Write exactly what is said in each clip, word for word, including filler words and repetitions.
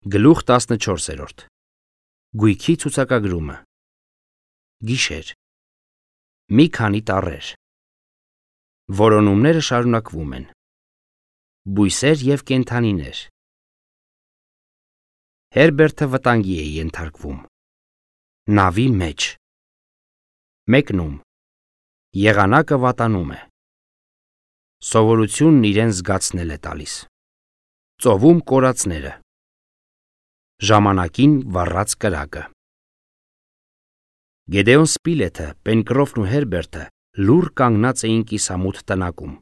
Գլուխ տասնչորսերորդ Գույքի ցուցակագրումը Գիշեր Մի քանի տառեր Որոնումները շարունակվում են Բույսեր և կենդանիներ Հերբերտը վտանգի է ենթարկվում Նավի մեջ Մեկնում Եղանակը վատանում է Սովորությունն իրեն զգացնել է տալիս Ծովում կորածները Ժամանակին վառած կրակը Գեդեոն Սպիլեթը, Պենկրոֆն ու Հերբերտը լուռ կանգնած էին կիսամութ տնակում։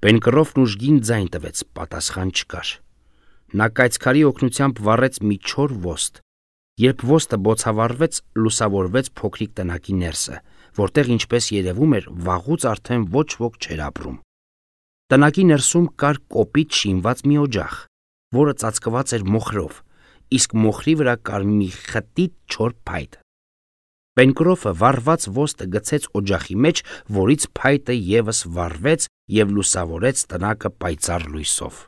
Պենկրոֆն ուժգին ձայն տվեց, պատասխան չկար։ Նա կայծքարի օգնությամբ վառեց մի չոր ոստ։ Երբ ոստը բոցավառվեց, լուսավորվեց փոքրիկ տնակի ներսը, որտեղ ինչպես երևում էր, վաղուց արդեն ոչ ոք չէր ապրում։ Տնակի ներսում կար կոպիտ շինված մի օջախ, որը ծածկված էր մոխրով, իսկ մոխրի վրա կար մի խտիտ չոր փայտ։ Պենկրոֆը վառված ոստը գցեց օջախի մեջ, որից փայտը ևս վառվեց և լուսավորեց տնակը պայծառ լույսով։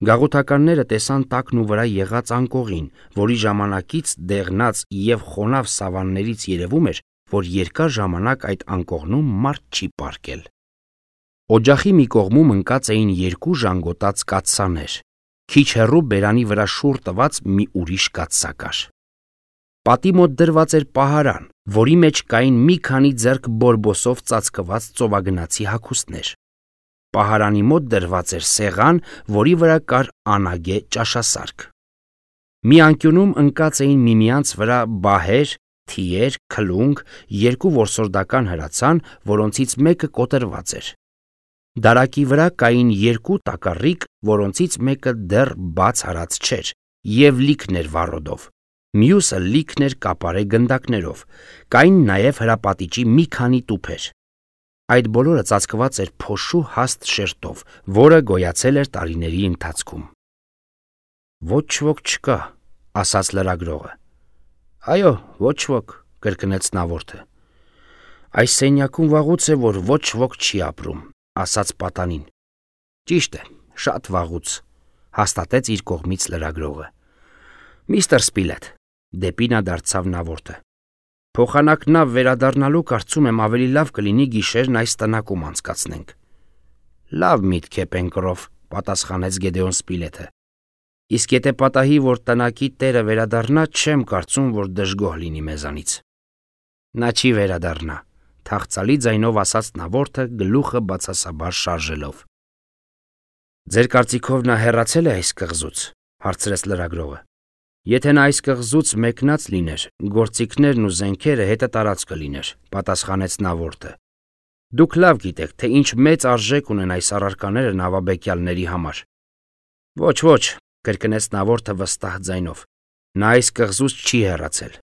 Գաղութականները տեսան տակն ու վրա եղած անկողին, որի ժամանակից դեղնած և խոնավ սավաններից երևում էր, որ երկար ժամանակ այդ անկողնում մարդ չի պառկել։ Օջախի մի կողմում ընկած էին երկու ժանգոտած կաթսաներ, քիչ հեռու բերանի վրա շուռ տված մի ուրիշ կաթսա կար։ Պատի մոտ դրված էր պահարան, որի մեջ կային մի քանի ձեռք բորբոսով ծածկված ծովագնացի հագուստներ։ Պահարանի մոտ դրված էր սեղան, որի վրա կար անագե ճաշասարք։ Մի անկյունում ընկած էին միմյանց վրա բահեր, թիեր, քլունգ, երկու որսորդական հրացան, որոնցից մեկը կոտրված էր։ Դարակի վրա կային երկու տակառիկ, որոնցից մեկը դեռ բաց հարած չէր, և լիքն էր վառոդով, մյուսը լիքն էր կապարե գնդակներով, կային նաև հրապատիճի մի քանի տուփեր։ Այդ բոլորը ծածկված էր փոշու հաստ շերտով, որը գոյացել էր տարիների ընթացքում։ Ոչ ոք չկա, ասաց լրագրողը։ Այո, ոչ ոք, կրկնեց նավորդը։ Այս սենյակում վաղուց է, որ ոչ ոք չի ապրում, ասաց պատանին։ Ճիշտ է, շատ վաղուց, հաստատեց իր կողմից լրագրողը։ Միստր Սպիլեթ, դեպի նա դարձավ նավորդը։ Փոխանակ նավ վերադառնալու կարծում եմ ավելի լավ կլինի գիշերն այս տնակում անցկացնենք։ Լավ միտք է, Պենկրոֆ, պատասխանեց Գեդեոն Սպիլեթը։ Իսկ եթե պատահի, որ տնակի տերը վերադառնա, չեմ կարծում, որ դժգոհ լինի մեզանից։ Նա չի վերադառնա, թախծալի ձայնով ասաց նավորդը, գլուխը բացասաբար շարժելով։ Ձեր կարծիքով նա հեռացել է այս կղզուց, հարցրեց լրագրողը։ Եթե նա այս կղզուց մեկնած լիներ, գործիքներն ու զենքերը հետը տարած կլիներ, պատասխանեց նավորդը։ Դուք լավ գիտեք, թե ինչ մեծ արժեք ունեն այս առարկաները նավաբեկյալների համար։ Ոչ, ոչ, կրկնեց նավորդը վստահ ձայնով։ Նա այս կղզուց չի հեռացել։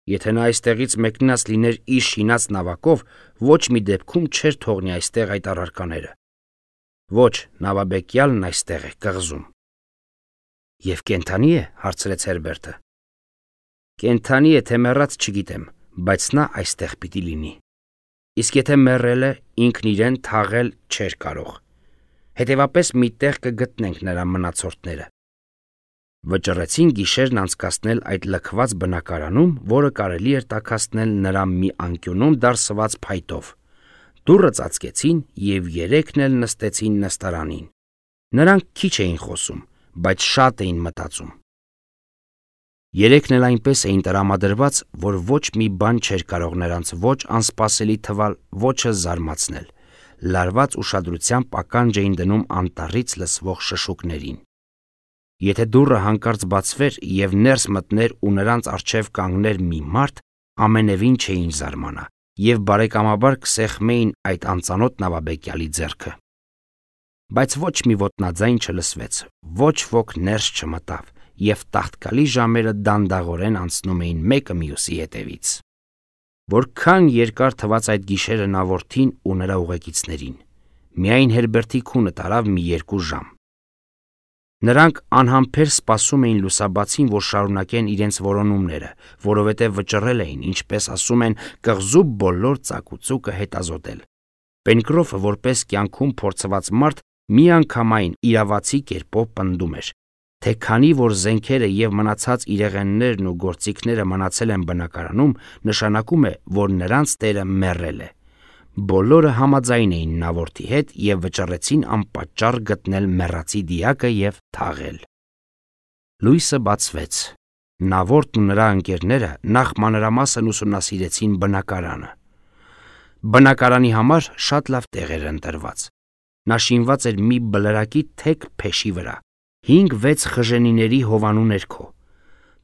Եթե նա այստեղից մեկնած լիներ իր շինած նավակով, ոչ մի դեպքում չէր թողնի այստեղ այդ առարկաները։ Ոչ, նավաբեկյալն այստեղ է, կղզում։ Եվ կենդանի է, հարցրեց Հերբերտը։ Կենդանի է, թե մեռած չգիտեմ, բայց նա այստեղ պիտի լինի։ Իսկ եթե մեռել է, ինքն իրեն թաղել չէր կարող։ Հետևաբար մի տեղ կգտնենք նրա մնացորդները։ Վճռեցին գիշերն անցկացնել այդ լքված բնակարանում, որը կարելի էր տաքացնել նրա մի անկյունում դարսված փայտով։ Դուռը ծածկեցին և երեքն էլ նստեցին նստարանին։ Նրանք քիչ էին խոսում, բայց շատ էին մտածում։ Երեքն էլ այնպես էին տրամադրված, որ ոչ մի բան չէր կարող նրանց ոչ անսպասելի թվալ, ոչը զարմացնել։ Լարված ուշադրությամբ ականջ էին դնում անտառից լսվող շշուկներին։ Եթե դուռը հանկարծ բացվեր և ներս մտներ ու նրանց առջև կանգներ մի մարդ, ամենևին չէին զարմանա և բարեկամաբար կսեղմեին այդ անծանոթ նավաբեկյալի ձեռքը։ Բայց ոչ մի ոտնաձայն չլսվեց, ոչ ոք ներս չմտավ, և տաղտկալի ժամերը դանդաղորեն անցնում էին մեկը մյուսի հետևից։ Որքան երկար թվաց այդ գիշերը նավորդին ու նրա ուղեկիցներին։ Միայն Հերբերտի քունը տարավ մի երկու ժամ։ Նրանք անհամբեր սպասում էին լուսաբացին, որ շարունակեն իրենց որոնումները, որովհետև վճռել էին, ինչպես ասում են, կղզու բոլոր ծակուցուկը հետազոտել։ Պենկրոֆը, որպես կյանքում փորձված մարդ, միանգամայն իրավացի կերպով պնդում էր, թե քանի որ զենքերը եւ մնացած իրեղեններն ու գործիքները մնացել են բնակարանում, նշանակում է, որ նրանց տերը մեռել է։ Բոլորը համաձայն էին նավորդի հետ եւ վճռեցին անպատճառ գտնել մեռածի դիակը եւ թաղել։ Լույսը բացվեց։ Նավորդն ու նրա ընկերները նախ մանրամասն ուսումնասիրեցին բնակարանը։ Բնակարանի համար շատ լավ տեղ էր ընտրված։ Նա շինված էր մի բլրակի թեք փեշի վրա, հինգ-վեց խժենիների հովանու ներքո։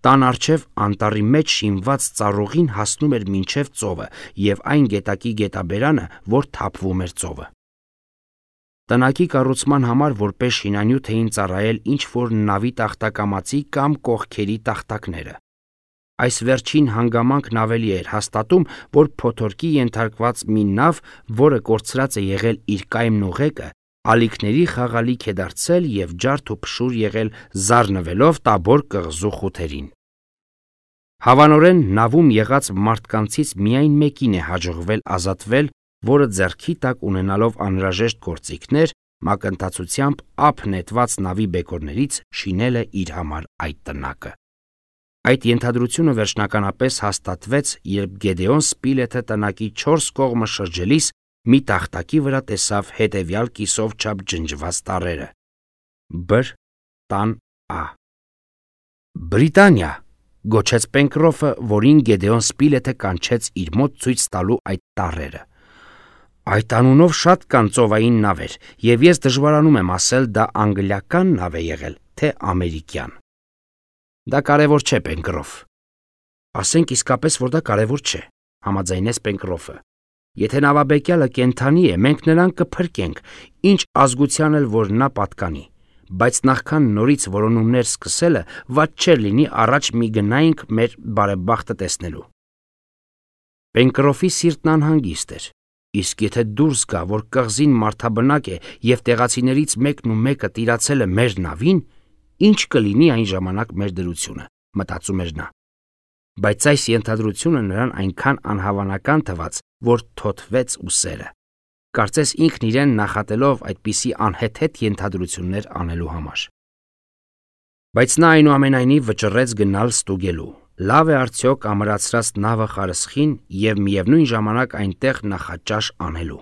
Տան առջև անտառի մեջ շինված ծառուղին հասնում էր մինչև ծովը եւ այն գետակի գետաբերանը, որ թափվում էր ծովը։ Տնակի կառուցման համար որպես շինանյութ էին ծառայել ինչ-որ նավի տախտակամածի կամ կողքերի տախտակները։ Այս վերջին հանգամանքն ավելի էր հաստատում, որ փոթորկի ենթարկված մի նավ, որը կորցրած է եղել իր կայմն ու ղեկը, ալիքների խաղալիք է դարձել եւ ջարդ ու փշուր եղել զառնվելով Տաբոր կղզու խութերին։ Հավանորեն նավում եղած մարդկանցից միայն մեկին է հաջողվել ազատվել, որը ձեռքի տակ ունենալով անհրաժեշտ գործիքներ, մակընթացությամբ ափ նետված նավի բեկորներից շինել է իր համար այդ տնակը։ Այդ ենթադրությունը վերջնականապես հաստատվեց, երբ Գեդեոն Սպիլեթը տնակի չորս կողմը շրջելիս մի տախտակի վրա տեսավ հետևյալ կիսով չափ ջնջված տառերը. Բր տան Ա։ Բրիտանիա, գոչեց Պենկրոֆը, որին Գեդեոն Սպիլեթը կանչեց իր մոտ ցույց տալու այդ տառերը։ Այդ անունով շատ կան ծովային նավեր, եւ ես դժվարանում եմ ասել դա անգլիական նավ է եղել, թե ամերիկյան։ Դա կարևոր չէ, Պենկրոֆ։ Ասենք իսկապես, որ դա կարևոր չէ, համաձայնեց Պենկրոֆը։ Եթե նավաբեկյալը կենդանի է, մենք նրան կփրկենք, ինչ ազգության էլ որ նա պատկանի, բայց նախքան նորից որոնումներ սկսելը, վատ չէր լինի առաջ մի գնայինք մեր բարեբախտը տեսնելու։ Պենկրոֆի սիրտն անհանգիստ էր, իսկ եթե դուրս գա, որ կղզին մարդաբնակ է եւ տեղացիներից մեկն ու մեկը տիրացել է մեր նավին, ինչ կլինի այն ժամանակ մեր դրությունը, մտածում էր նա։ Բայց այս ենթադրությունը նրան այնքան անհավանական թվաց, որ թոթվեց ուսերը։ Կարծես ինքն իրեն նախատելով այդպիսի անհեթեթ ենթադրություններ անելու համար։ Բայց նա այնուամենայնիվ վճռեց գնալ ստուգելու, լավ է արդյոք ամրացրած նավը խարսխին եւ միևնույն ժամանակ այնտեղ նախաճաշ անելու։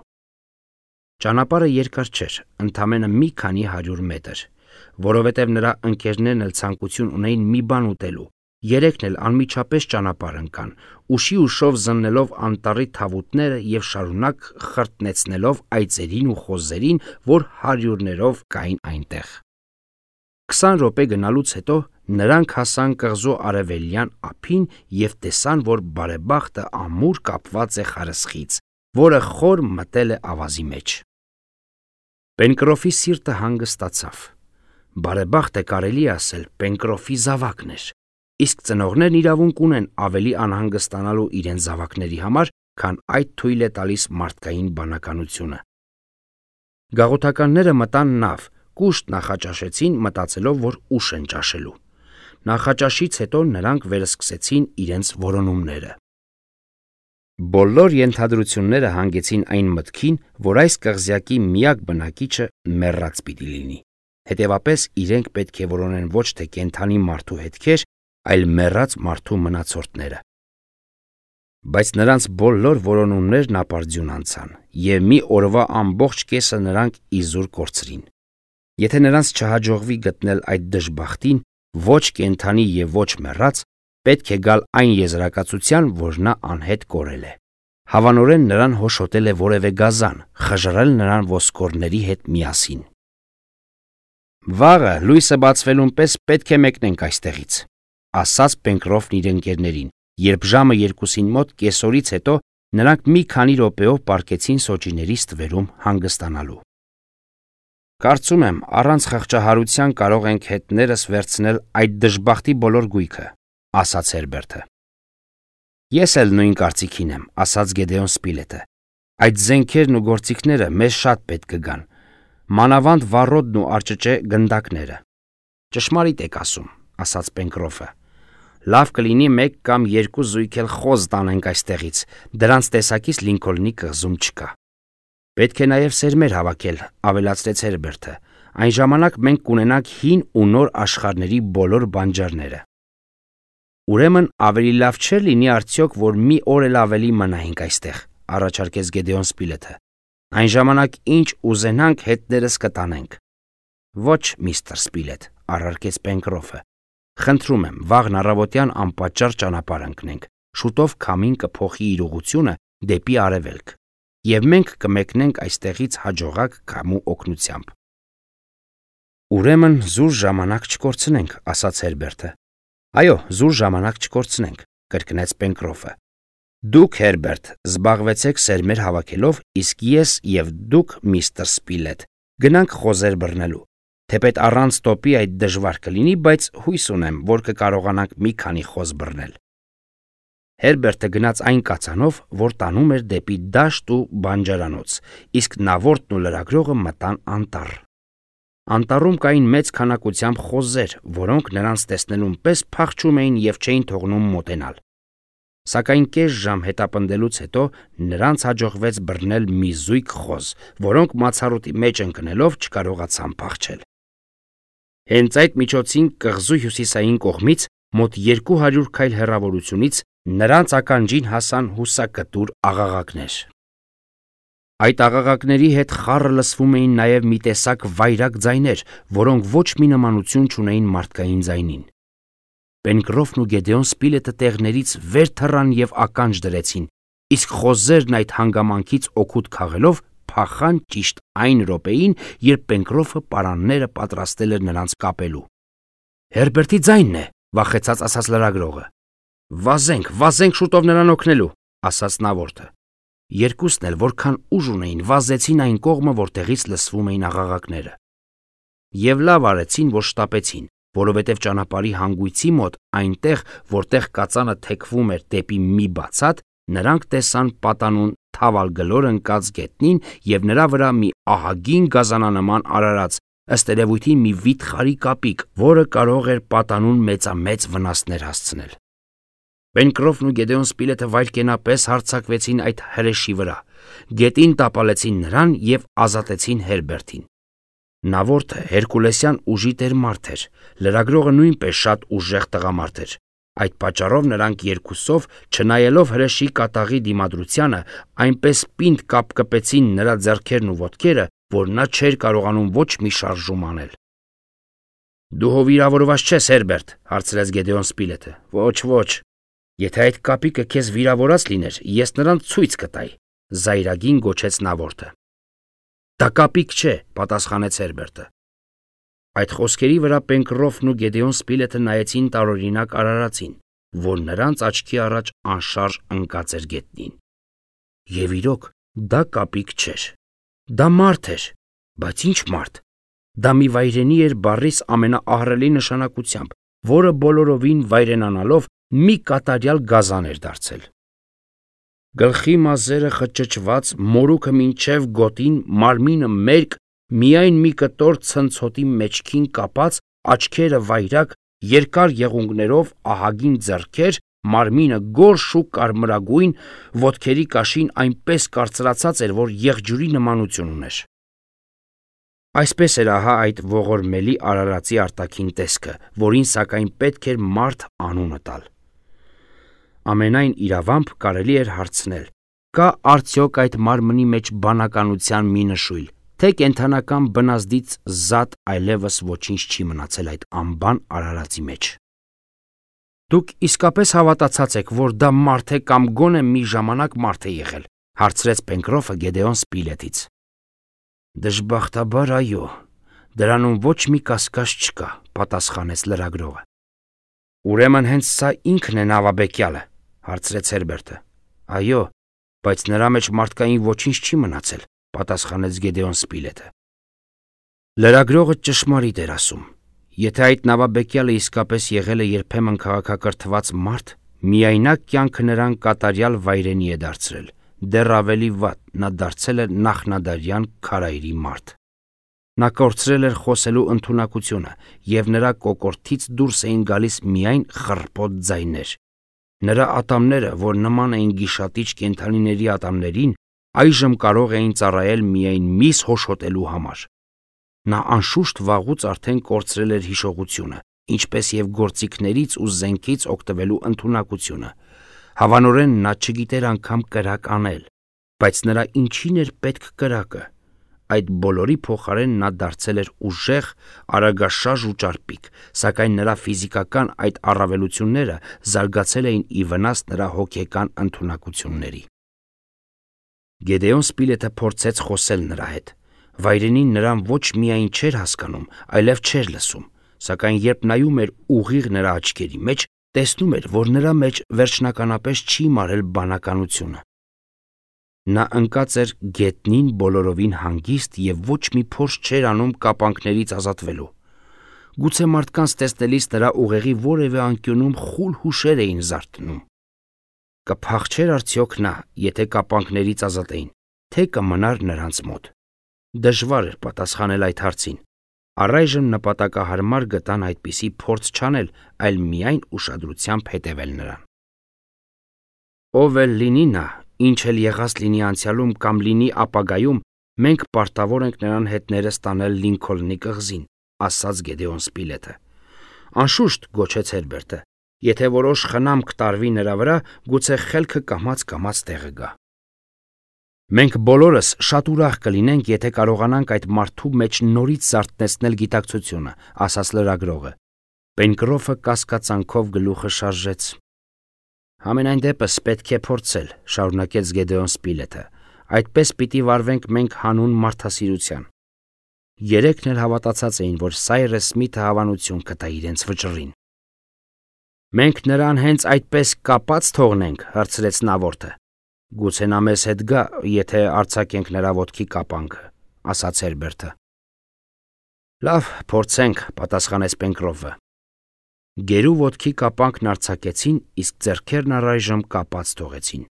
Ճանապարհը երկար չէր, ընդամենը մի քանի հարյուր մետր, որովհետև նրա ընկերներն էլ ցանկություն ունեին մի բան ուտելու։ Երեքն էլ անմիջապես ճանապարհ ընկան, ուշի ուշով զննելով անտառի թավուտները եւ շարունակ խրտնեցնելով այծերին ու խոզերին, որ հարյուրներով կային այնտեղ։ Քսան րոպե գնալուց հետո նրանք հասան կղզու արևելյան ափին եւ տեսան, որ բարեբախտը ամուր կապված է խարսխից, որը խոր մտել է ավազի մեջ։ Պենկրոֆի սիրտը հանգստացավ։ Բարեբախտը կարելի է ասել Պենկրոֆի զավակն էր, իսկ ծնողներն իրավունք ունեն ավելի անհանգստանալու իրենց զավակների համար, քան այդ թույլ է տալիս մարդկային բանականությունը։ Գաղութականները մտան նավ, կուշտ նախաճաշեցին, մտածելով, որ ուշ են ճաշելու։ Նախաճաշից հետո նրանք վերսկսեցին իրենց որոնումները։ Բոլոր ենթադրությունները հանգեցին այն մտքին, որ այս կղզյակի միակ բնակիչը մեռած պիտի լինի։ Հետևապես իրենք պետք է որոնեն ոչ թե կենդանի մարդու հետքեր, այլ մեռած մարդու մնացորդները։ Բայց նրանց բոլոր որոնումներն ապարդյուն անցան, եւ մի օրվա ամբողջ կեսը նրանք իզուր կորցրին։ Եթե նրանց չհաջողվի գտնել այդ դժբախտին, ոչ կենդանի եւ ոչ մեռած, պետք է գալ այն եզրակացության, որ նա անհետ կորել է։ Հավանորեն նրան հոշոտել է որևէ գազան, խժռել նրան ոսկորների հետ միասին։ Վաղը լույսը բացվելուն պես պետք է մեկնենք այստեղից, ասաց Պենկրոֆն իր ընկերներին, երբ ժամը երկուսին մոտ կեսօրից հետո նրանք մի քանի րոպեով պառկեցին սոճիների ստվերում հանգստանալու։ Կարծում եմ, առանց խղճահարության կարող ենք հետներս վերցնել այդ դժբախտի բոլոր գույքը, ասաց Հերբերտը։ Ես էլ նույն կարծիքին եմ, ասաց Գեդեոն Սպիլեթը։ Այդ զենքերն ու գործիքները մեզ շատ պետք կգան, մանավանդ վառոդն ու արճճե գնդակները։ Ճշմարիտ եք ասում, ասաց Պենկրոֆը։ Լավ կլինի մեկ կամ երկու զույգ էլ խոզ տանենք այստեղից, դրանց տեսակից Լինքոլնի կղզում չկա։ Պետք է նաև սերմեր հավաքել, ավելացրեց Հերբերտը, Այն ժամանակ մենք կունենանք հին ու նոր աշխարհների բոլոր բանջարները։ Ուրեմն ավելի լավ չէր լինի արդյոք, որ մի օր էլ ավելի մնայինք այստեղ, առաջարկեց Գեդեոն Սպիլեթը։ Այն ժամանակ ինչ ուզենանք հետներս կտանենք։ Ոչ, միստր Սպիլեթ, առարկեց Պենկրոֆը։ Խնդրում եմ, վաղն առավոտյան անպատճառ ճանապարհ ընկնենք, շուտով քամին կփոխի իր ուղղությունը դեպի արևելք, եւ մենք կմեկնենք այստեղից հաջողակ քամու օգնությամբ։ Ուրեմն զուր ժամանակ չկորցնենք, ասաց Հերբերտը։ Այո, զուր ժամանակ չկորցնենք, կրկնեց Պենկրոֆը։ Դուք, Հերբերտ, զբաղվեցեք սերմեր հավաքելով, իսկ ես եւ դուք, միստր Սպիլեթ, գնանք խոզեր բռնելու։ Թեպետ առանց տոպի այդ դժվար կլինի, բայց հույս ունեմ, որ կկարողանանք մի քանի խոզ բռնել։ Հերբերտը գնաց այն կացանով, որ տանում էր դեպի դաշտ ու բանջարանոց, իսկ նավորդն ու լրագրողը մտան անտառ։ Անտառում կային մեծ քանակությամբ խոզեր, որոնք նրանց տեսնելուն պես փախչում էին եւ չէին թողնում մոտենալ։ Սակայն կես ժամ հետապնդելուց հետո նրանց հաջողվեց բռնել մի զույգ խոզ, որոնք մացառոտի մեջ ընկնելով չկարողացան փախչել։ Հենց այդ միջոցին կղզու հյուսիսային կողմից մոտ երկու հարյուր քայլ հեռավորությունից նրանց ականջին հասան հուսակտուր աղաղակներ։ Այդ աղաղակների հետ խառը լսվում էին նաև մի տեսակ վայրագ ձայներ, որոնք ոչ մի նմանություն չունեին մարդկային ձայնին։ Պենկրոֆն ու Գեդեոն Սպիլեթը տեղներից վեր թռան եւ ականջ դրեցին, իսկ խոզերն այդ հանգամանքից օգուտ քաղելով փախան ճիշտ այն րոպեին, երբ Պենկրոֆը պարանները պատրաստել էր նրանց կապելու։ Հերբերտի ձայնն է, վախեցած ասաց լրագրողը։ Վազենք, վազենք շուտով նրան օգնելու, ասաց նավորդը։ Երկուսն էլ որքան ուժ ունեին, վազեցին այն կողմը, որտեղից լսվում էին աղաղակները։ Եվ լավ արեցին, որ շտապեցին, որովհետև ճանապարհի հանգույցի մոտ, այնտեղ, որտեղ կածանը թեքվում էր դեպի մի բացատ, նրանք տեսան պատանուն թավալ գլոր ընկած գետնին եւ նրա վրա մի ահագին գազանանման արարած, ըստ երևույթին մի վիթխարի կապիկ, որը կարող էր պատանուն մեծամեծ վնասներ հասցնել։ Պենկրոֆն ու Գեդեոն Սպիլեթը վայրկենապես հարձակվեցին այդ հրեշի վրա, գետին տապալեցին նրան եւ ազատեցին Հերբերտին։ Նավորդը հերկուլեսյան ուժի տեր մարդ էր, լրագրողը նույնպես շատ ուժեղ տղամարդ էր։ Այդ պատճառով նրանք երկուսով, չնայելով հրեշի կատաղի դիմադրությանը, այնպես պինդ կապկպեցին նրա ձեռքերն ու ոտքերը, որ նա չէր կարողանում ոչ մի շարժում անել։ Դու հո վիրավորված չես, Հերբերտ, հարցրեց Գեդեոն Սպիլեթը։ Ոչ, ոչ։ Եթե այդ կապիկը քեզ վիրավորած լիներ, ես նրան ցույց կտայի, զայրագին գոչեց նավորդը։ Դա կապիկ չէ, պատասխանեց Հերբերտը։ Այդ խոսքերի վրա Պենկրոֆն ու Գեդեոն Սպիլեթը նայեցին տարօրինակ արարածին, որ նրանց աչքի առաջ անշարժ ընկած էր գետնին։ Եվ իրոք, դա կապիկ չէր։ Դա մարդ էր, բայց ինչ մարդ։ Դա մի վայրենի էր բառիս ամենաահռելի նշանակությամբ, որը բոլորովին վայրենանալով մի կատարյալ գազան էր դարձել։ Գլխի մազերը խճճված, մորուքը մինչև գոտին, մարմինը մերկ, միայն մի կտոր ցնցոտի մեջքին կապած, աչքերը վայրակ, երկար եղունգներով, ահագին ձեռքեր, մարմինը գորշ ու կարմրագույն, ոտքերի կաշին այնպես կարծրացած էր, որ եղջյուրի նմանություն ուներ։ Այսպես էր ահա այդ ողորմելի արարածի արտաքին տեսքը, որին սակայն պետք էր մարդ անունը տալ։ Ամենայն իրավամբ կարելի էր հարցնել. կա արդյոք այդ մարմնի մեջ բանականության մի նշույլ, թե կենդանական բնազդից զատ այլևս ոչինչ չի մնացել այդ անբան արարածի մեջ։ Դուք իսկապես հավատացած եք, որ դա մարդ է կամ գոնե մի ժամանակ մարդ է եղել, հարցրեց Պենկրոֆը Գեդեոն Սպիլեթից։ Դժբախտաբար այո, դրանում ոչ մի կասկած չկա, պատասխանեց լրագրողը։ Ուրեմն հենց սա ինքն է նավաբեկյալը, հարցրեց Հերբերտը։ Այո, բայց նրա մեջ մարդկային ոչինչ չի մնացել, պատասխանեց Գեդեոն Սպիլեթը։ Լրագրողը ճշմարիտ էր ասում։ Եթե այդ նավաբեկյալը իսկապես եղել է երբեմն քաղաքակրթված մարդ, միայնակ կյանքը նրան կատարյալ վայրենի է դարձրել, դեռ ավելի վատ, նա դարձել է նախնադարյան քարայրի մարդ։ Նա կորցրել էր խոսելու ընդունակությունը, եւ նրա կոկորդից դուրս էին գալիս միայն խռպոտ ձայներ։ Նրա ատամները, որ նման էին գիշատիչ կենդանիների ատամներին, այժմ կարող էին ծառայել միայն միս հոշոտելու համար։ Նա անշուշտ վաղուց արդեն կորցրել էր հիշողությունը, ինչպես եւ գործիքներից ու զենքից օգտվելու ընդունակությունը։ Հավանորեն նա չգիտեր անգամ կրակ անել, բայց նրա ինչին էր պետք կրակը։ Այդ բոլորի փոխարեն նա դարձել էր ուժեղ, արագաշարժ ու ճարպիկ, սակայն նրա ֆիզիկական այդ առավելությունները զարգացել էին ի վնաս նրա հոգեկան ընդունակությունների։ Գեդեոն Սպիլեթը փորձեց խոսել նրա հետ։ Վայրենին նրան ոչ միայն չէր հասկանում, այլև չէր լսում, սակայն երբ նայում էր ուղիղ նրա աչքերի մեջ, տեսնում էր, որ նրա մեջ վերջնականապես չի մարել բանականությունը։ Նա ընկած էր գետնին բոլորովին հանգիստ և ոչ մի փորձ չէր անում կապանքներից ազատվելու։ Գուցե մարդկանց տեսնելիս նրա ուղեղի որևէ անկյունում խուլ հուշեր էին զարթնում։ Կփախչեր արդյոք նա, եթե կապանքներից ազատեին, թե կմնար նրանց մոտ։ Դժվար էր պատասխանել այդ հարցին։ Առայժմ նպատակահարմար գտան այդպիսի փորձ չանել, այլ միայն ուշադրությամբ հետևել նրան։ Ով էլ լինի նա, ինչ էլ եղած լինի անցյալում կամ լինի ապագայում, մենք պարտավոր ենք նրան հետներս տանել Լինքոլնի կղզին, ասաց Գեդեոն Սպիլեթը։ Անշուշտ, գոչեց Հերբերտը, եթե որոշ խնամք տարվի նրա վրա, գուցե խելքը կամաց-կամաց տեղը գա։ Մենք բոլորս շատ ուրախ կլինենք, եթե կարողանանք այդ մարդու մեջ նորից զարթեցնել գիտակցությունը, ասաց լրագրողը։ Պենկրոֆը կասկածանքով գլուխը շարժեց։ Համենայն դեպս պետք է փորձել, շարունակեց Գեդեոն Սպիլեթը։ Այդպես պիտի վարվենք մենք հանուն մարդասիրության։ Երեքն էլ հավատացած էին, որ Սայրես Սմիթը հավանություն կտա իրենց վճռին։ Մենք նրան հենց այդպես կապած թողնենք, հարցրեց Նավորդը։ Գուցե նա մեզ հետ գա, եթե արձակենք նրա ոտքի կապանքը, ասաց Հերբերտը։ Լավ, փորձենք, պատասխանեց Պենկրոֆը։ Գերու ոտքի կապանքն արձակեցին, իսկ ձեռքերն առայժմ կապած թողեցին։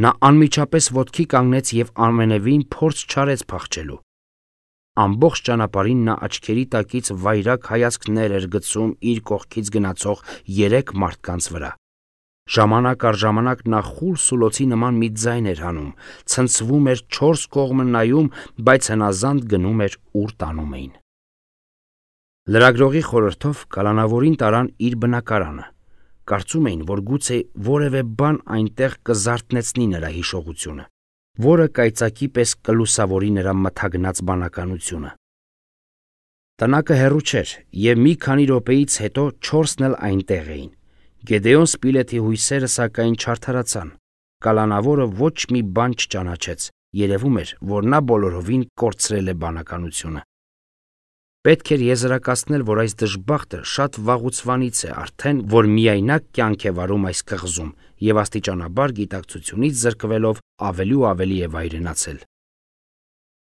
Նա անմիջապես ոտքի կանգնեց և ամենևին փորձ չարեց փախչելու։ Ամբողջ ճանապարհին նա աչքերի տակից վայրագ հայացքներ էր գցում իր կողքից գնացող երեք մարդկանց վրա։ Ժամանակ առ ժամանակ նա խուլ սուլոցի նման մի ձայն էր հանում, ցնցվում էր չորս կողմը նայում, բայց հնազանդ գնում էր ուր տանում էին։ Լրագրողի խորհրդով կալանավորին տարան իր բնակարանը։ Կարծում էին, որ գուցե որևէ բան այնտեղ կզարթնեցնի նրա հիշողությունը, որը կայծակի պես կլուսավորի նրա մթագնած բանականությունը։ Տնակը հեռու չէր, և մի քանի րոպեից հետո չորսն էլ այնտեղ էին։ Գեդեոն Սպիլեթի հույսերը սակայն չարդարացան։ Կալանավորը ոչ մի բան չճանաչեց, երևում էր, որ նա բոլորովին կորցրել է բանականությունը։ Պետք էր եզրակացնել, որ այս դժբախտը շատ վաղուցվանից է արդեն, որ միայնակ կյանք է վարում այս կղզում և աստիճանաբար գիտակցությունից զրկվելով ավելի ու ավելի է վայրենացել։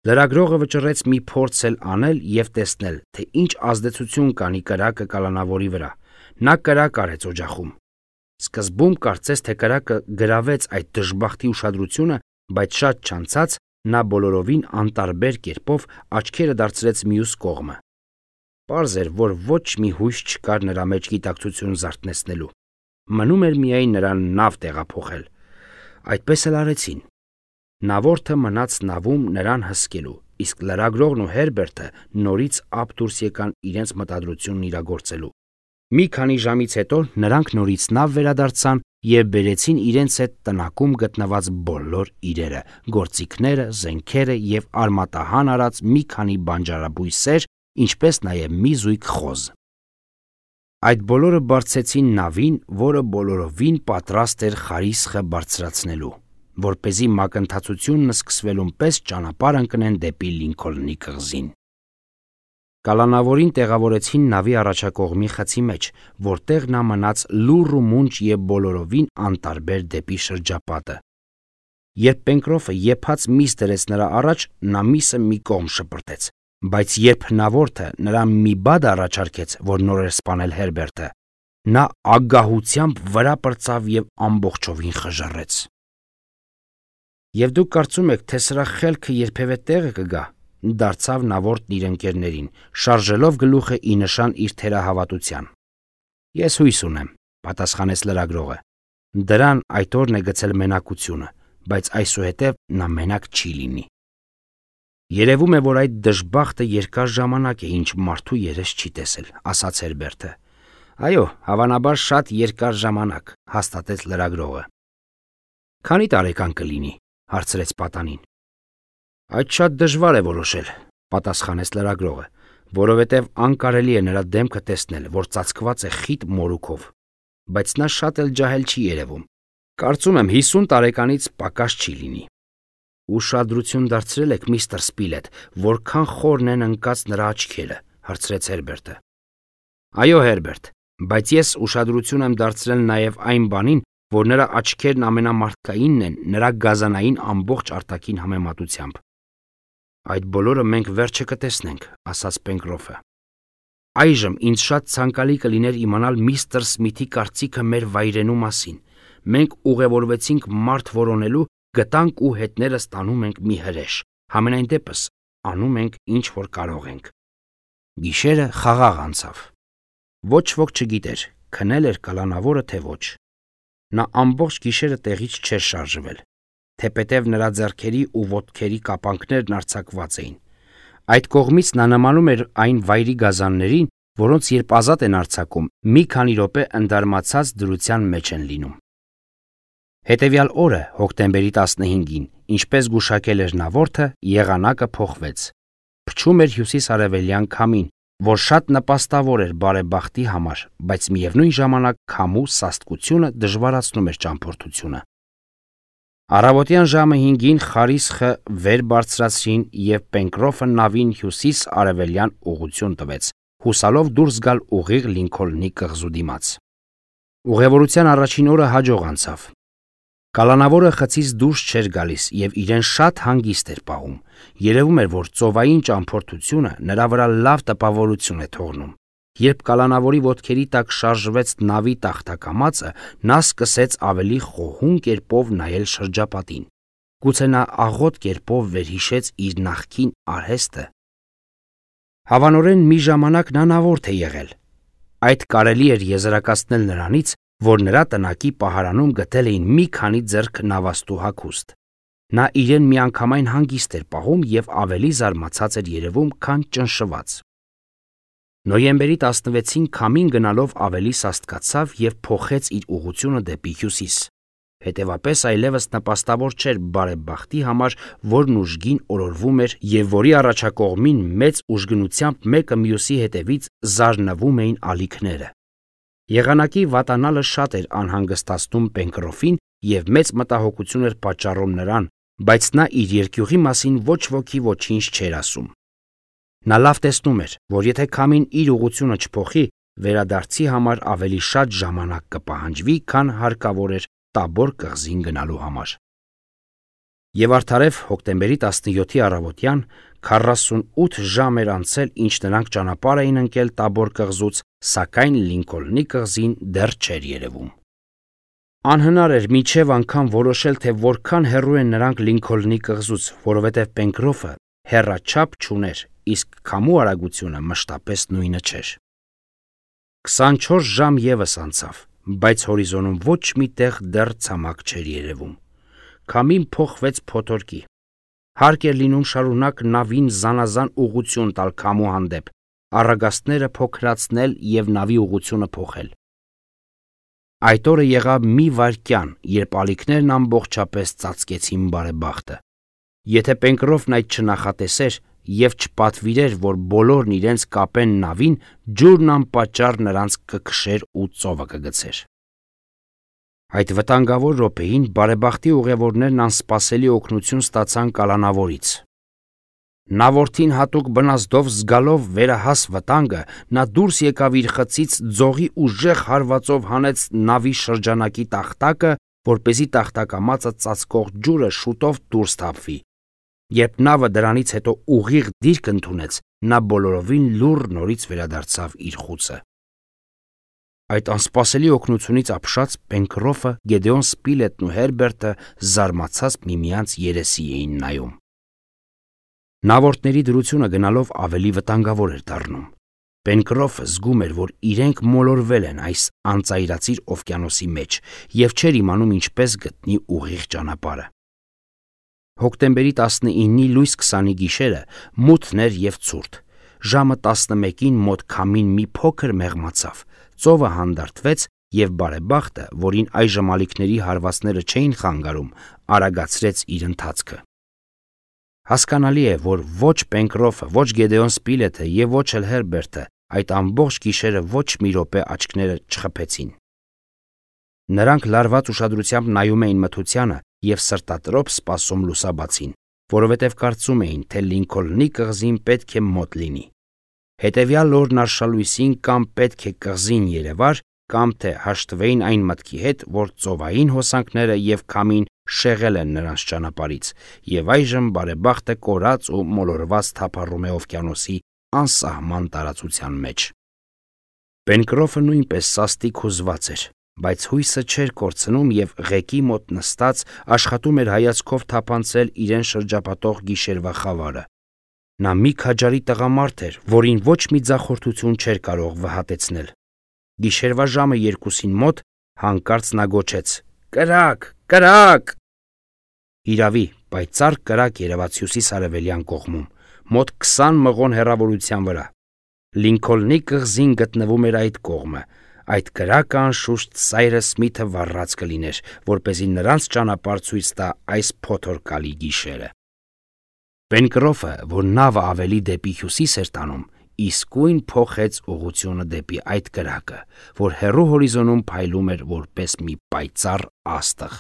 Լրագրողը վճռեց մի փորձ էլ անել և տեսնել, թե ինչ ազդեցություն կանի կրակը կալանավորի վրա։ Նա կրակ արեց օջախում։ Սկզբում կարծես թե կրակը գրավեց այդ դժբախտի ուշադրությունը, բայց շատ չանցած նա բոլորովին անտարբեր կերպով աչքերը դարձրեց մյուս կողմը։ Պարզ էր, որ ոչ մի հույս չկար նրա մեջ գիտակցություն զարթնեցնելու։ Մնում էր միայն նրան նավ տեղափոխել։ Այդպես էլ արեցին։ Նավորդը մնաց նավում նրան հսկելու, իսկ լրագրողն ու Հերբերտը նորից ափ դուրս եկան իրենց մտադրությունն իրագործելու։ Մի քանի ժամից հետո նրանք նորից նավ վերադարձան և բերեցին իրենց հետ տնակում գտնված բոլոր իրերը, գործիքները, զենքերը և արմատահան արած մի քանի բանջարաբույսեր, ինչպես նաև մի զույգ խոզ։ Այդ բոլորը բարձեցին նավին, որը բոլորովին պատրաստ էր խարիսխը բարձրացնելու, որպեսզի մակընթացությունն սկսվելուն պես ճանապարհ ընկնեն դեպի Լինքոլնի կղզին։ Կալանավորին տեղավորեցին նավի առաջակողմի խցի մեջ, որտեղ նա մնաց լուռ ու մունջ և բոլորովին անտարբեր դեպի շրջապատը։ Երբ Պենկրոֆը եփած միս դրեց նրա առաջ, նա միսը մի կողմ շպրտեց, բայց երբ հնավորդը նրան մի բադ առաջարկեց, որ նոր էր սպանել Հերբերտը, նա ագահությամբ վրա պրծավ և ամբողջովին խժռեց։ Եվ դուք կարծում եք, թե սրա խելքը երբևէ տեղը կգա, դարձավ նավորդն իր ընկերներին, շարժելով գլուխը ի նշան իր թերահավատության։ Ես հույս ունեմ, պատասխանեց լրագրողը։ Դրան այդ օրն է գցել մենակությունը, բայց այսուհետև նա մենակ չի լինի։ Երևում է, որ այդ դժբախտը երկար ժամանակ է, ինչ մարդու երես չի տեսել, ասաց Հերբերտը։ Այո, հավանաբար շատ երկար ժամանակ, հաստատեց լրագրողը։ Քանի տարեկան կլինի, հարցրեց պատանին։ Այդ շատ դժվար է որոշել, պատասխանեց լրագրողը, որովհետև անկարելի է նրա դեմքը տեսնել, որ ծածկված է խիտ մորուքով, բայց նա շատ էլ ջահել չի երևում։ Կարծում եմ հիսուն տարեկանից պակաս չի լինի։ Ուշադրություն դարձրել եք, միստր Սպիլետ, որքան խորն են ընկած նրա աչքերը, հարցրեց Հերբերտը։ Այո, Հերբերտ, բայց ես ուշադրություն եմ դարձրել նաև այն բանին, որ նրա աչքերն ամենամարդկայինն են նրա գազանային ամբողջ արտաքին համեմատությամբ։ Այդ բոլորը մենք վերջը կտեսնենք, ասաց Պենկրոֆը։ Այժմ ինձ շատ ցանկալի կլիներ իմանալ միստր Սմիթի կարծիքը մեր վայրենու մասին։ Մենք ուղևորվեցինք մարդ որոնելու, գտանք ու հետներս տանում ենք մի հրեշ, համենայն դեպս անում ենք ինչ որ կարող ենք։ Գիշերը խաղաղ անցավ։ Ոչ ոք չգիտեր, քնել էր կալանավորը թե ոչ։ Նա ամբողջ գիշերը տեղից չէր շարժվել, թեպետև նրա ձեռքերի ու ոտքերի կապանքներն արձակված էին։ Այդ կողմից նա նմանում էր այն վայրի գազաններին, որոնց երբ ազատ են արձակում, մի քանի րոպե ընդարմացած դրության մեջ են լինում։ Հետևյալ օրը, հոկտեմբերի տասնհինգին, ինչպես գուշակել էր նավորդը, եղանակը փոխվեց։ Փչում էր հյուսիս-արևելյան քամին, որ շատ նպաստավոր էր բարեբախտի համար, բայց միևնույն ժամանակ քամու սաստկությունը դժվարացնում էր ճամփորդությունը։ Առավոտյան ժամը հինգին խարիսխը վեր բարձրացրին և Պենկրոֆը նավին հյուսիս-արևելյան ուղղություն տվեց, հուսալով դուրս գալ ուղիղ Լինքոլնի կղզու դիմաց։ Ուղևորության առաջին օրը հաջող անցավ։ Կալանավորը խցից դուրս չէր գալիս և իրեն շատ հանգիստ էր պահում։ Երևում էր, որ ծովային ճամփորդությունը նրա վրա լավ տպավորություն է թողնում։ Երբ կալանավորի ոտքերի տակ շարժվեց նավի տախտակամածը, նա սկսեց ավելի խոհուն կերպով նայել շրջապատին։ Գուցե նա աղոտ կերպով վերհիշեց իր նախկին արհեստը։ Հավանորեն մի ժամանակ նա նավորդ է եղել։ Այդ կարելի էր եզրակացնել նրանից, որ նրա տնակի պահարանում գտել էին մի քանի ձեռք նավաստու հագուստ։ Նա իրեն միանգամայն հանգիստ էր պահում և ավելի զարմացած էր երևում, քան ճնշված։ Նոյեմբերի տասնվեցին քամին գնալով ավելի սաստկացավ և փոխեց իր ուղղությունը դեպի հյուսիս։ Հետևապես այլևս նպաստավոր չէր բարեբախտի համար, որն ուժգին օրորվում էր և որի առաջակողմին մեծ ուժգնությամբ մեկը մյուսի հետևից զարնվում էին ալիքները։ Եղանակի վատանալը շատ էր անհանգստացնում Պենկրոֆին և մեծ մտահոգություն էր պատճառում նրան, բայց նա իր երկյուղի մասին ոչ ոքի ոչինչ չէր ասում։ Նա լավ տեսնում էր, որ եթե քամին իր ուղղությունը չփոխի, վերադարձի համար ավելի շատ ժամանակ կպահանջվի, քան հարկավոր էր Տաբոր կղզին գնալու համար։ Եվ արդարև հոկտեմբերի տասնյոթի առավոտյան քառասունութ ժամ էր անցել, ինչ նրանք ճանապարհ էին ընկել Տաբոր կղզուց, սակայն Լինքոլնի կղզին դեռ չէր երևում։ Անհնար էր մինչև անգամ որոշել, թե որքան հեռու են նրանք Լինքոլնի կղզուց, որովհետև Պենկրոֆը հեռաչափ չուներ, իսկ քամու արագությունը մշտապես նույնը չէր։ Քսանչորս ժամ ևս անցավ, բայց հորիզոնում ոչ մի տեղ դեռ ցամաք չէր երևում։ Քամին փոխվեց փոթորկի։ Հարկ էր լինում շարունակ նավին զանազան ուղղություն տալ քամու հանդեպ, առագաստները փոքրացնել և նավի ուղղությունը փոխել։ Այդ օրը եղավ մի վայրկյան, երբ ալիքներն ամբողջապես ծածկեցին բարեբախտը։ Եթե Պենկրոֆն այդ չնախատեսեր և չպատվիրեր, որ բոլորն իրենց կապեն նավին, ջուրն անպատճառ նրանց կքշեր ու ծովը կգցեր։ Այդ վտանգավոր րոպեին բարեբախտի ուղևորներն անսպասելի օգնություն ստացան կալանավորից։ Նավորդին հատուկ բնազդով զգալով վերահաս վտանգը, նա դուրս եկավ իր խցից, ձողի ուժեղ հարվածով հանեց նավի շրջանակի տախտակը, որպեսզի տախտակամածը ծածկող ջուրը շուտով դուրս թափվի։ Երբ նավը դրանից հետո ուղիղ դիրք ընդունեց, նա բոլորովին լուռ նորից վերադարձավ իր խուցը։ Այդ անսպասելի օգնությունից ապշած Պենկրոֆը, Գեդեոն Սպիլետն ու Հերբերտը զարմացած միմյանց երեսի էին նայում։ Նավորդների դրությունը գնալով ավելի վտանգավոր էր դառնում։ Պենկրոֆը զգում էր, որ իրենք մոլորվել են այս անծայրածիր օվկիանոսի մեջ և չէր իմանում ինչպես գտնի ուղիղ ճանապարհը։ Հոկտեմբերի տասնինի լույս քսանի գիշերը մութն էր և ցուրտ։ Ժամը տասնմեկին մոտ քամին մի փոքր մեղմացավ, ծովը հանդարտվեց և բարեբախտը, որին այժմ ալիքների հարվածները չէին խանգարում, արագացրեց իր ընթացքը։ Հասկանալի է, որ ոչ Պենկրոֆը, ոչ Գեդեոն Սպիլեթը և ոչ էլ Հերբերտը այդ ամբողջ գիշերը ոչ մի րոպե աչքները չխփեցին։ Նրանք լարված ուշադրությամբ նայում էին մթությանը և սրտատրոփ սպասում լուսաբացին, որովհետև կարծում էին, թե Լինքոլնի կղզին պետք է մոտ լինի։ Հետևյալ օրն արշալույսին կամ պետք է կղզին երևար, կամ թե հաշտվեին այն մտքի հետ, որ ծովային հոսանքները և քամին շեղել են նրանց ճանապարհից, և այժմ բարեբախտը կորած ու մոլորված թափառում է օվկիանոսի անսահման տարածության մեջ։ Պենկրոֆը նույնպես սաստիկ հուզված էր, բայց հույսը չէր կորցնում և ղեկի մոտ նստած աշխատում էր հայացքով թափանցել իրեն շրջապատող գիշերվա խավարը։ Նա մի քաջարի տղամարդ էր, որին ոչ մի ձախորդություն չէր կարող վհատեցնել։ Գիշերվա ժամը երկուսին մոտ հանկարծ նա գոչեց. «Կրակ, կրակ»։ Իրավի, պայծառ կրակ երևաց հյուսիս-արևելյան կողմում, մոտ քսան մղոն հեռավորության վրա։ Լինքոլնի կղզին գտնվում էր այդ կողմը։ Այդ կրակը անշուշտ Սայրս Սմիթը վառած կլիներ, որպեսզի նրանց ճանապարհ ցույց տա այս փոթորկալի գիշերը։ Պենկրոֆը, որ նավը ավելի դեպի հյուսիս էր տանում, իսկույն փոխեց ուղղությունը դեպի այդ կրակը, որ հեռու հորիզոնում փայլում էր որպես մի պայծառ աստղ։